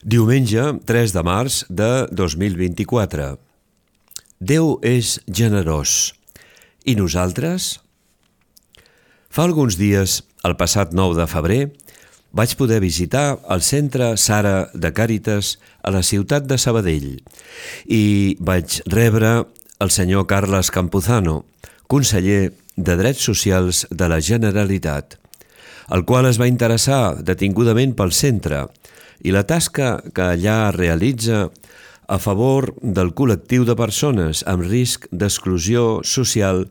Diumenge 3 de març de 2024. Déu és generós. I nosaltres? Fa alguns dies, el passat 9 de febrer, vaig poder visitar el Centre Sara de Càritas a la ciutat de Sabadell i vaig rebre el senyor Carles Campuzano, conseller de Drets Socials de la Generalitat, el qual es va interessar detingudament pel centre i la tasca que allà realitza a favor del col·lectiu de persones amb risc d'exclusió social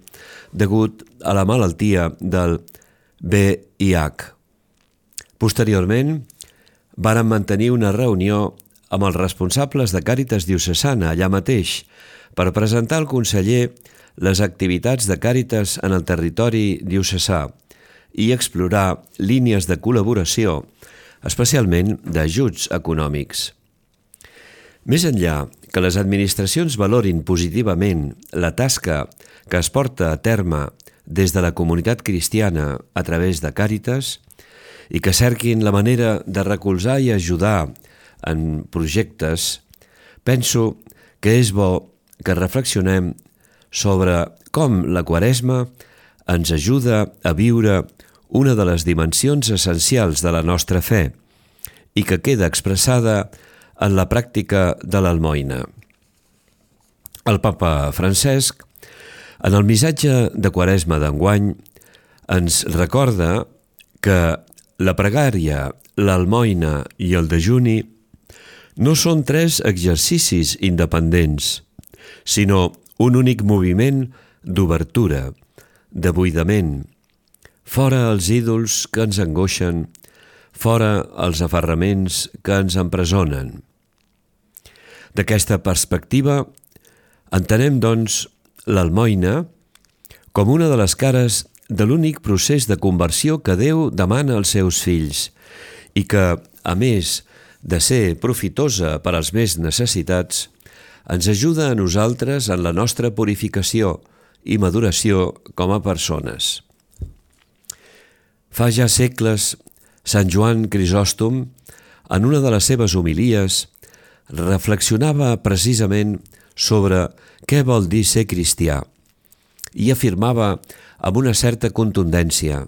degut a la malaltia del VIH. Posteriorment, vàrem mantenir una reunió amb els responsables de Càritas Diocesana allà mateix per presentar al conseller les activitats de Càritas en el territori diocesà i explorar línies de col·laboració, especialment d'ajuts econòmics. Més enllà que les administracions valorin positivament la tasca que es porta a terme des de la comunitat cristiana a través de Càritas i que cerquin la manera de recolzar i ajudar en projectes, penso que és bo que reflexionem sobre com la Quaresma ens ajuda a viure una de les dimensions essencials de la nostra fe i que queda expressada en la pràctica de l'almoina. El papa Francesc, en el missatge de Quaresma d'enguany, ens recorda que la pregària, l'almoina i el dejuni no són tres exercicis independents, sinó un únic moviment d'obertura, de buidament, fora els ídols que ens angoixen, fora els aferraments que ens empresonen. D'aquesta perspectiva, entenem, doncs, l'almoina com una de les cares de l'únic procés de conversió que Déu demana als seus fills i que, a més de ser profitosa per als més necessitats, ens ajuda a nosaltres en la nostra purificació i maduració com a persones. Fa ja segles, Sant Joan Crisòstom, en una de les seves homilies, reflexionava precisament sobre què vol dir ser cristià i afirmava amb una certa contundència: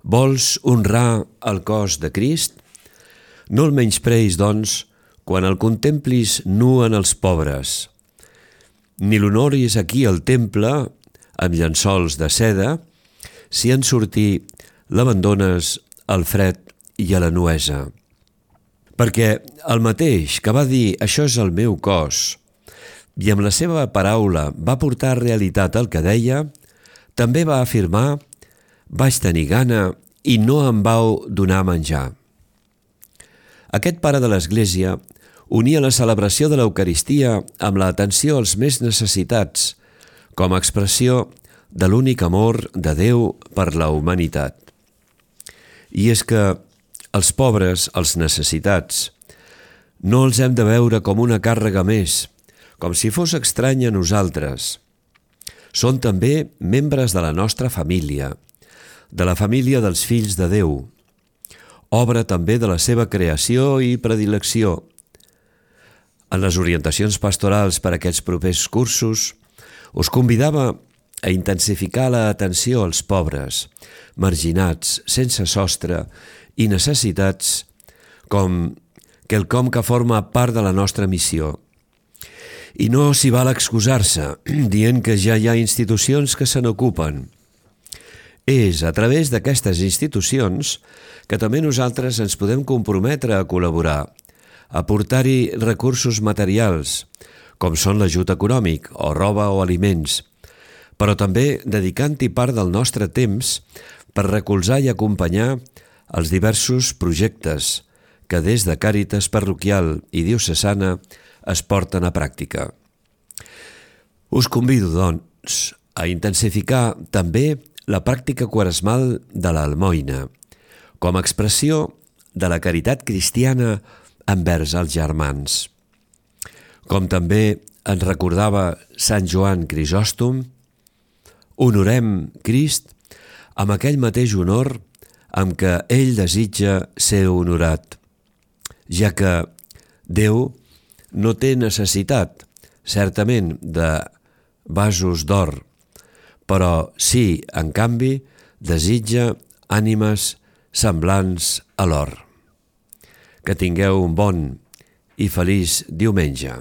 vols honrar el cos de Crist? No el menyspreis, doncs, quan el contemplis nu en els pobres, ni l'honoris aquí al temple amb llençols de seda, si en sortir l'abandones al fred i a la nuesa. Perquè el mateix que va dir «això és el meu cos» i amb la seva paraula va portar realitat al que deia, també va afirmar «vaig tenir gana i no em vau donar menjar». Aquest pare de l'Església unia la celebració de l'Eucaristia amb l'atenció als més necessitats, com a expressió de l'únic amor de Déu per la humanitat. I és que els pobres, els necessitats, no els hem de veure com una càrrega més, com si fos estrany a nosaltres. Són també membres de la nostra família, de la família dels fills de Déu, obra també de la seva creació i predilecció. En les orientacions pastorals per a aquests propers cursos, us convidava a intensificar l'atenció als pobres, marginats, sense sostre i necessitats, com quelcom que forma part de la nostra missió. I no s'hi val excusar-se, dient que ja hi ha institucions que se n'ocupen. És a través d'aquestes institucions que també nosaltres ens podem comprometre a col·laborar, a aportar-hi recursos materials, com són l'ajut econòmic, o roba o aliments, però també dedicant-hi part del nostre temps per recolzar i acompanyar els diversos projectes que des de Càritas parroquial i diocesana es porten a pràctica. Us convido, doncs, a intensificar també la pràctica quaresmal de l'almoina, com a expressió de la caritat cristiana envers els germans. Com també ens recordava Sant Joan Crisòstom, honorem Crist amb aquell mateix honor amb què ell desitja ser honorat. ja que Déu no té necessitat, certament, de vasos d'or, però sí, en canvi, desitja ànimes semblants a l'or. Que tingueu un bon i feliç diumenge.